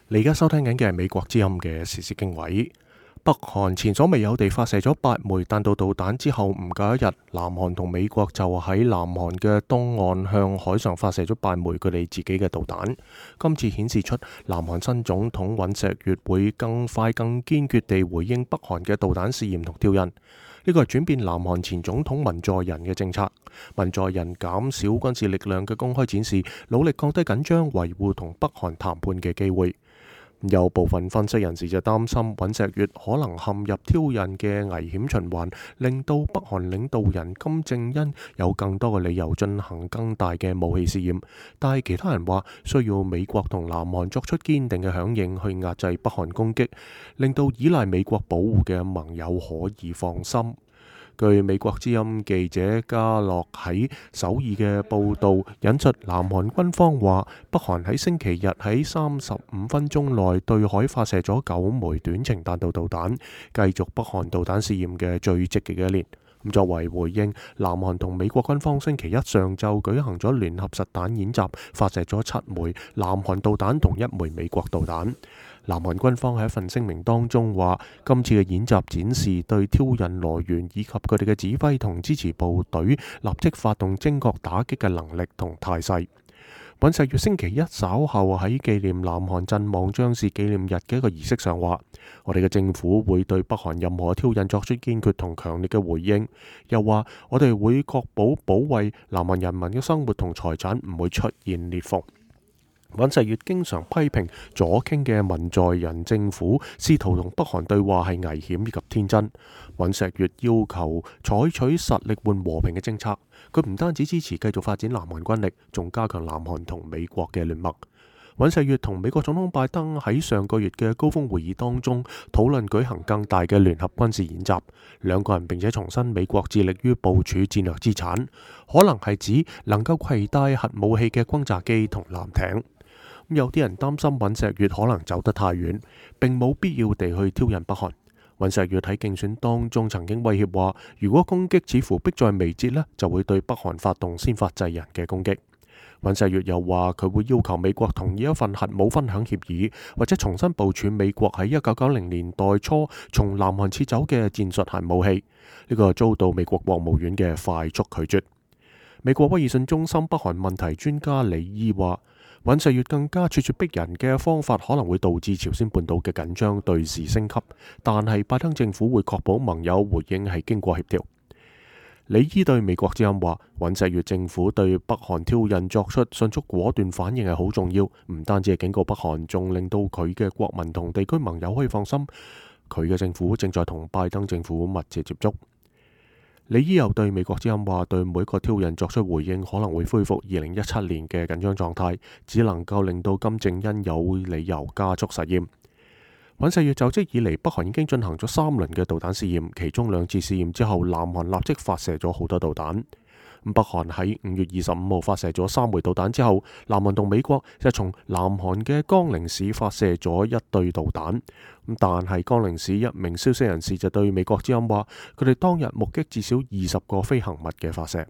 你而家收聽緊嘅係美國之音嘅時事經緯。北韓前所未有地發射咗8枚彈道導彈之後，唔夠一日，南韓同美國就喺南韓嘅東岸向海上發射咗8枚佢哋自己嘅導彈。今次顯示出南韓新總統尹錫悅會更快、更堅決地回應北韓嘅導彈試驗同挑釁。呢個係轉變南韓前總統文在寅嘅政策。文在寅減少軍事力量嘅公開展示，努力降低緊張，維護同北韓談判嘅機會。有部分分析人士就擔心尹錫悅可能陷入挑釁嘅危險循環，令到北韓領導人金正恩有更多嘅理由進行更大嘅武器試驗。但係其他人話需要美國同南韓作出堅定嘅響應去壓制北韓攻擊，令到依賴美國保護嘅盟友可以放心。據美國之音記者加洛喺首爾嘅報導，引述南韓軍方話，北韓喺星期日喺35分鐘內對海發射咗9枚短程彈道導彈，繼續北韓導彈試驗嘅最積極嘅一年。作為回應，南韓同美國軍方星期一上晝舉行咗聯合實彈演習，發射咗7枚南韓導彈同1枚美國導彈。南韓軍方喺一份聲明當中話，今次嘅演習展示對挑釁來源以及佢哋嘅指揮同支持部隊立即發動精確打擊嘅能力同態勢。尹錫悅星期一稍後喺紀念南韓陣亡將士紀念日嘅一個儀式上話，我哋嘅政府會對北韓任何挑釁作出堅決同強烈嘅回應，又話我哋會確保保衛南韓人民嘅生活同財產唔會出現裂縫。尹錫悅經常批評左傾嘅文在寅政府試圖同北韓對話係危險以及天真。尹錫悅要求採取實力換和平嘅政策，佢唔單止支持繼續發展南韓軍力，仲加強南韓同美國嘅聯盟。尹錫悅同美國總統拜登喺上個月嘅高峰會議當中討論舉行更大嘅聯合軍事演習，兩個人並且重申美國致力於部署戰略資產，可能係指能夠攜帶核武器嘅轟炸機同艦艇。有啲人擔心尹錫悅可能走得太遠，並冇必要地去挑釁北韓。尹錫悅喺競選當中曾經威脅話，如果攻擊似乎迫在眉睫呢，就會對北韓發動先發制人嘅攻擊。尹錫悅又話佢會要求美國同意一份核武分享協議，或者重新部署美國喺1990年代初從南韓撤走嘅戰術核武器。呢個遭到美國國務院嘅快速拒絕。美國威爾遜中心北韓問題專家李伊話，尹錫悅更加咄咄逼人嘅方法可能會導致朝鮮半島嘅緊張對峙升級，但係拜登政府會確保盟友回應係經過協調。李伊對美國之音話，尹錫悅政府對北韓挑釁作出迅速果斷反應係好重要，唔單止係警告北韓，仲令到佢嘅國民同地區盟友可以放心，佢嘅政府正在同拜登政府密切接觸。李伊又對美國之音話，對每一個挑釁作出回應可能會恢復2017年嘅緊張狀態，只能夠令到金正恩有理由加速實驗。尹錫悅就職以嚟，北韓已經進行咗3輪嘅導彈試驗，其中2次試驗之後，南韓立即發射咗好多導彈。北韓喺5月25號發射咗3枚導彈之後，南韓同美國就從南韓嘅江陵市發射咗1對導彈。但係江陵市一名消息人士就對美國之音話，佢哋當日目擊至少20個飛行物嘅發射。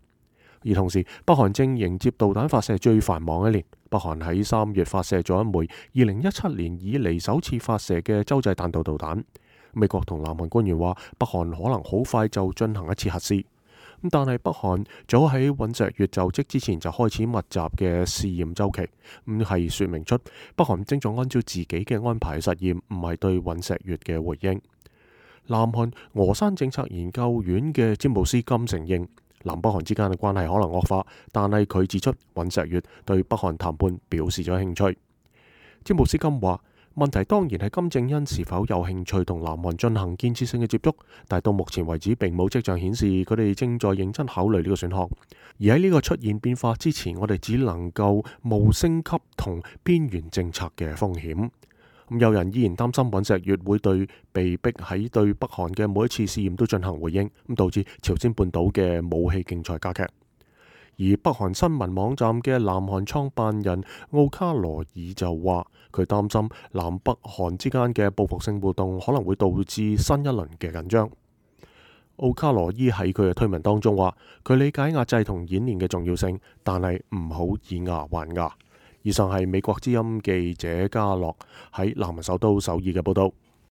而同時，北韓正迎接導彈發射最繁忙一年。北韓喺3月發射咗1枚2017年以嚟首次發射嘅洲際彈道導彈。美國同南韓官員話，北韓可能好快就進行一次核試。但係北韓早喺尹錫悅就職之前就開始密集嘅試驗周期，係說明出北韓正在按照自己嘅安排實驗，唔係對尹錫悅嘅回應。南韓峨山政策研究院嘅詹姆斯金承認，南北韓之間嘅關係可能惡化，但係佢指出尹錫悅對北韓談判表示咗興趣。詹姆斯金話，問題當然係金正恩是否有興趣同南韓進行建設性嘅接觸，但到目前為止並冇跡象顯示佢哋正在認真考慮呢個選項。而喺呢個出現變化之前，我哋只能夠冒升級同邊緣政策嘅風險。有人依然擔心尹錫悅會對被逼喺對北韓嘅每一次試驗都進行回應，導致朝鮮半島嘅武器競賽加劇。而北韓新聞網站嘅南韓創辦人奧卡羅爾就話，佢擔心南北韓之間嘅報復性活動可能會導致新一輪嘅緊張。奧卡羅伊喺佢嘅推文當中話，佢理解壓制同演練嘅重要性，但係唔好以牙還牙。以上係美國之音記者嘉樂喺南韓首都首爾嘅報道。